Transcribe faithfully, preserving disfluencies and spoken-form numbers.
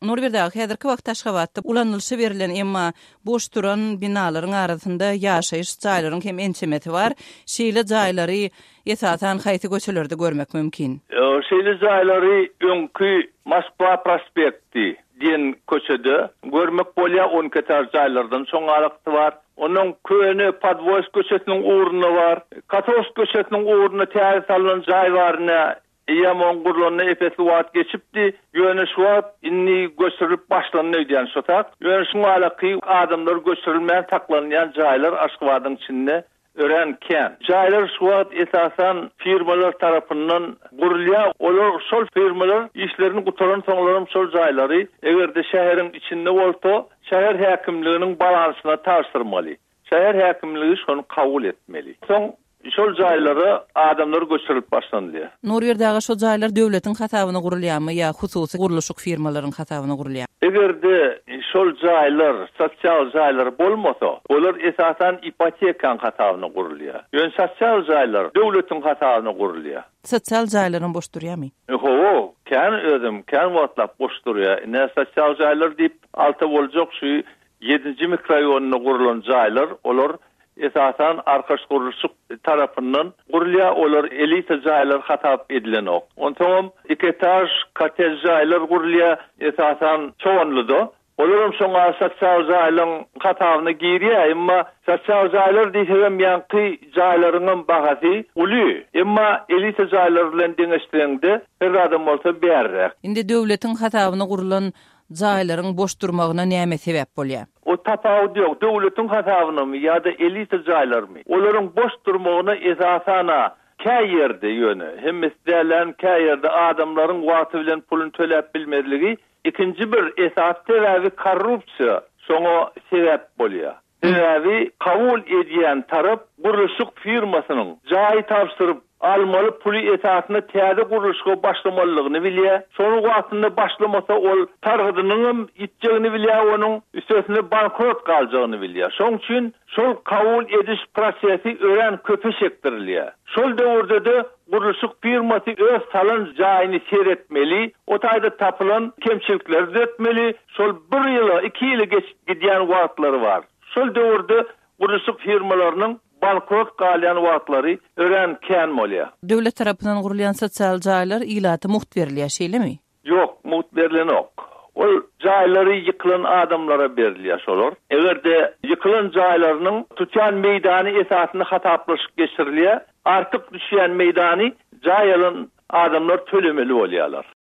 Nurberdi aga, häzirki wagtda Aşgabatda ulanylyşa berlen emma boş duran binalaryň arasynda ýaşaýyş jaýlaryň hem ençemesi bar. Şeýle jaýlary esasan haýsy köçelerde görmek mümkin? Şeýle jaýlary öňki Moskwa prospekti diýen köçede görmek bolýar, on iki etaž jaýlardan soň alakdy bar. Onuň köne Podwoýsk köçesiniň ugrunda bar. Kotovsk köçesiniň ugrunda täze salynan jaý bar. Eýýäm oň gurlanyna epesli wagt geçipdi. Ýöne şu wagt indi göçürilip başlandy diýen şu tak. Ýöne şu alaky adamlar göçürilmän saklanýan jaýlar Aşgabadyň içinde örän kän. Jaýlar şu wagt esasan firmalar tarapyndan gurulýar. Olar şol firmalar işlerini gutaran soňlaram şol jaýlary eger-de şäheriň içinde bolsa, şäher häkimliginiň balansyna tabşyrmaly. Şäher häkimligi şonu kabul etmeli. Soň şol jaýlara adamlar göçürilip başlanylýar. Nurberdi aga, şol jaýlar döwletiň hasabyna gurulýarmy ýa hususy gurluşyk firmalaryň hasabyna gurulýar? Eger-de şol jaýlar sosial jaýlar bolmasa, olar esasan ipotekaň hasabyna gurulýar. Ýöne sosial jaýlar döwletiň hasabyna gurulýar. Sosial jaýlaryň boş durýarmy? Hawa, kän özüm, kän wagtlap boş durýar. Ine sosial jaýlar diýip alta boljak şu ýedinji mikrorayonunda gurulan jaýlar, olar esasan arkaç gurluşyk tarapyndan gurulýar, olar elita jaýlar hasap edilenok. Onsoňam iki etaj kottej jaýlar gurulýar, esasan Çoganlyda. Olaram şoňa sosial jaýlaryň hasabyna girýär, emma sosial jaýlar diýsegem ýaňky jaýlaryň bahasy uly. Emma elita jaýlar bilen deňeşdireňde her adam bolsa bärräk. Indi döwletiň hasabyna gurulan jaýlaryň boş durmagyna näme sebäp bolýar? O tapawut ýok. Döwletiň hasabynamy ýa-da elita jaýlarmy? Olaryň boş durmagyna esasana kä ýerde ýöne, hemmesi dälän kä ýerde adamlaryň wagty bilen puluny töläp bilmezligi, ikinji bir esas sebäbi korrupsiýa şoňa sebäp bolýar. Sebäbi kabul edýän tarap gurluşyk firmasynyň jaý tabşyryp almaly puly esasynda täze gurluşyga başlamalygyny bilýär. Şonuň wagtynda başlamasa ol targydynyň ýitjegini bilýär, onuň üstesine bankrot galjagyny bilýär. Şonuň üçin şol kabul ediş prosesi örän köpe çekdirilýär. Şol döwürde-de gurluşyk firmasy öz salan jaýyny seyretmeli, o taýda tapylan kemçilikleri düzetmeli. Şol bir ýyla, iki ýyla geçip gidýän wagtlary bar. Şol döwürde gurluşyk firmalarynyň bankrot galýan wagtlary örän kän bolýar. Döwlet tarapyndan gurulýan sosial jaýlar ilata mugt berilýär, şeýlemi? Ýok, mugt berilenok. Ol jaýlary ýykylan adamlara berilýär şolar. Eger-de ýykylan jaýlarynyň tutýan meýdany esasynda hasaplaşyk geçirilýär, artyk düşýän meýdany jaý alan adamlar tölemeli bolýarlar.